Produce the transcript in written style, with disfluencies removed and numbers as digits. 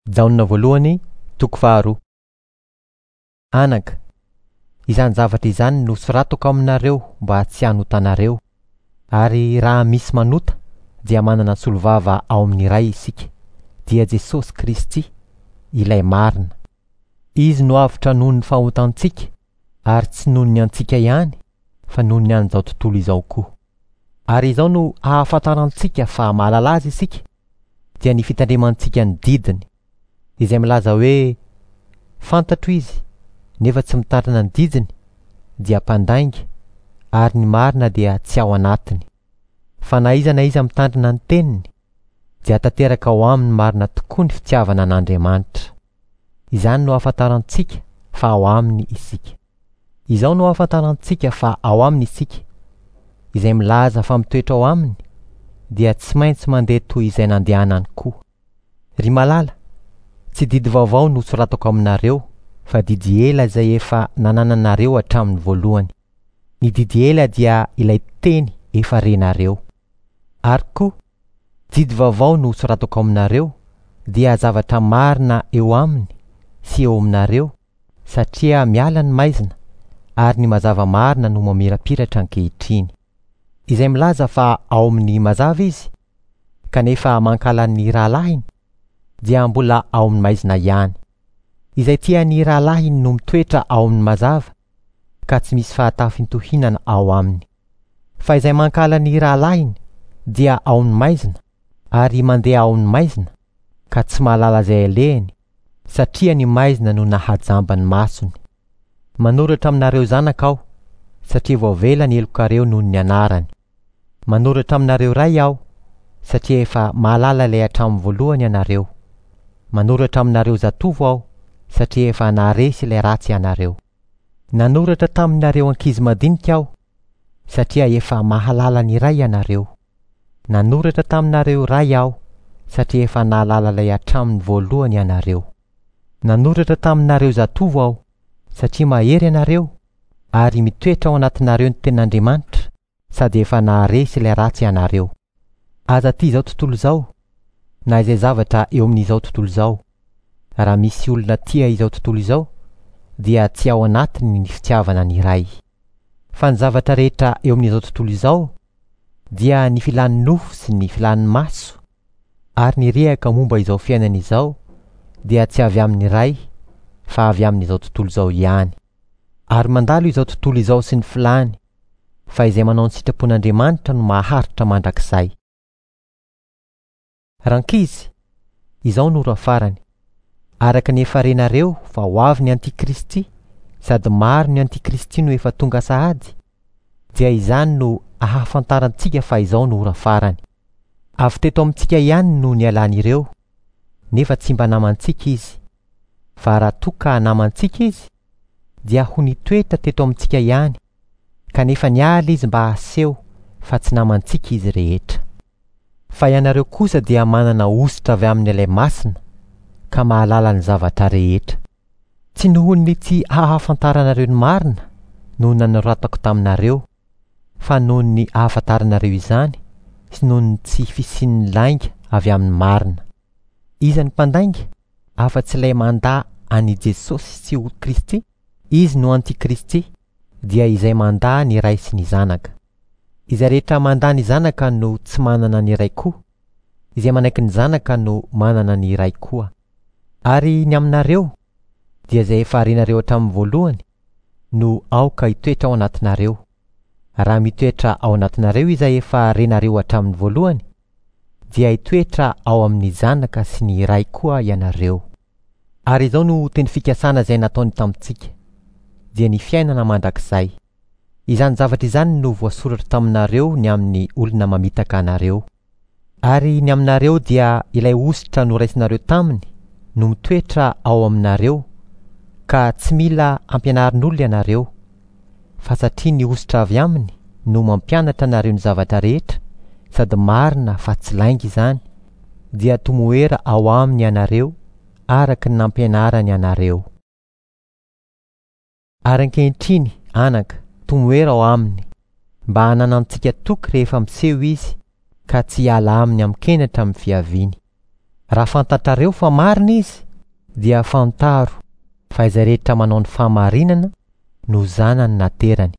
Jaona voalohany, toko faharoa. Anaka, izany zavatra izany no soratako aminareo mba tsy hanotanareo. Ary raha misy manota dia manana solovava ao amin'ny Ray isika, dia Jesosy Kristy, ilay marina. Izy no avotra noho ny fahotantsika, ary tsy noho ny antsika ihany, fa noho ny an'izao tontolo izao koa. Ary izao no ahafantarantsika fa mahalala azy isika, dia ny fitandremantsika ny didiny, izay milaza hoe fantatro izy nefa tsy mitandrina ny didiny dia mpandainga ary ny marina dia tsy ao anatiny. Fa na iza na iza mitandrina ny teniny dia tanteraka ao aminy marina tokoa ny fitiavana an'Andriamanitra. Izany no ahafantarantsika fa ao aminy isika. Izao no ahafantarantsika fa ao aminy isika, izay milaza fa mitoetra ao aminy dia tsy maintsy mandeha toy izay nandehanany koa. Ry malala, tsy didy vaovao no soratako aminareo fa didy ela izay efa nanananareo hatramin'ny voalohany. Ny didy ela dia ilay teny efa renareo. Ary koa, didy vaovao no soratako aminareo dia zavatra marina eo aminy sy eo aminareo satria miala ny maizina ary ny mazava marina no mamirapiratra ankehitriny. Izay milaza fa ao amin'ny mazava izy kanefa mankahala ny rahalahiny dia mbola ao amin'ny maizina ihany. Izay tia ny rahalahiny no mitoetra ao amin'ny mazava ka tsy misy fahatafintohinana ao aminy. Fa izay mankahala ny rahalahiny dia ao amin'ny maizina ary mandeha ao amin'ny maizina ka tsy mahalala izay alehany satria ny maizina no nahajamba ny masony. Manoratra aminareo zanaka aho satria voavela ny helokareo noho ny anarany. Manoratra aminareo ray aho satria efa mahalala ilay hatramin'ny voalohany ianareo. Manoratra aminareo zatovo aho satria efa naharesy ilay ratsy ianareo. Nanoratra taminareo ankizy madinika aho satria efa mahalala ny Ray ianareo. Nanoratra taminareo ray aho satria efa nahalala ilay hatramin'ny voalohany ianareo. Nanoratra taminareo zatovo aho satria mahery ianareo ary mitoetra ao anatinareo ny tenin'Andriamanitra sady efa naharesy ilay ratsy ianareo. Aza tia izao tontolo izao na izay zavatra eo amin'izao tontolo izao. Raha misy olona tia izao tontolo izao dia tsy ao anatiny ny fitiavana ny Ray. Fa ny zavatra rehetra eo amin'izao tontolo izao dia ny filan'ny nofo sy ny filan'ny maso ary ny rehaka momba izao fiainana izao dia tsy avy amin'ny Ray fa avy amin'izao tontolo izao ihany. Ary mandalo izao tontolo izao sy ny filany, fa izay manao ny sitrapon'Andriamanitra no maharitra mandrakizay. Rankizy, izao no ora farany. Araka ny efa renareo fa ho avy ny antikristy, sady maro ny antikristy no efa tonga sahady, dia izany no ahafantarantsika fa izao no ora farany. Avy teto amintsika ihany no nialan'ireo, nefa tsy mba namantsika izy. Fa raha toa ka namantsika izy, dia ho nitoetra teto amintsika ihany, kanefa niala izy mba haseho fa tsy namantsika izy rehetra. Fa ianareo kosa dia manana hosotra avy amin'ilay masina ka mahalala ny zavatra rehetra. Tsy noho ny tsy ahafantaranareo ny marina no nanoratako taminareo, fa noho ny ahafantaranareo izany sy noho ny tsy fisian'ny lainga avy amin'ny marina. Iza ny mpandainga afa-tsy ilay mandà an'i Jesosy tsy ho Kristy? Izy no antikristy, dia izay mandà ny Ray sy ny Zanaka. Izay rehetra mandà ny Zanaka no tsy manana ny Ray koa, izay manaiky ny Zanaka no manana ny Ray koa. Ary ny aminareo, dia izay efa renareo hatramin'ny voalohany no aoka hitoetra ao anatinareo. Raha mitoetra ao anatinareo izay efa renareo hatramin'ny voalohany, dia hitoetra ao amin'ny Zanaka sy ny Ray koa ianareo. Ary izao no teny fikasana izay nataony tamintsika, dia ny fiainana mandrakizay. Izany zavatra izany no voasoratra taminareo ny amin'ny olona mamitaka anareo. Ary ny aminareo dia ilay hosotra noraisinareo taminy no mitoetra ao aminareo, ka tsy mila ampianarin'olona ianareo, fa satria ny hosotra avy aminy no mampianatra anareo ny zavatra rehetra, sady marina fa tsy lainga izany, dia tomoera ao aminy ianareo araka ny nampianarany anareo. Ary ankehitriny, anaka, tomoera ao aminy, mba hananantsika toky rehefa miseho izy ka tsy hiala aminy amin-kenatra amin'ny fiaviany. Raha fantatrareo fa marina izy, dia fantaro fa izay rehetra manao ny fahamarinana no zanany naterany.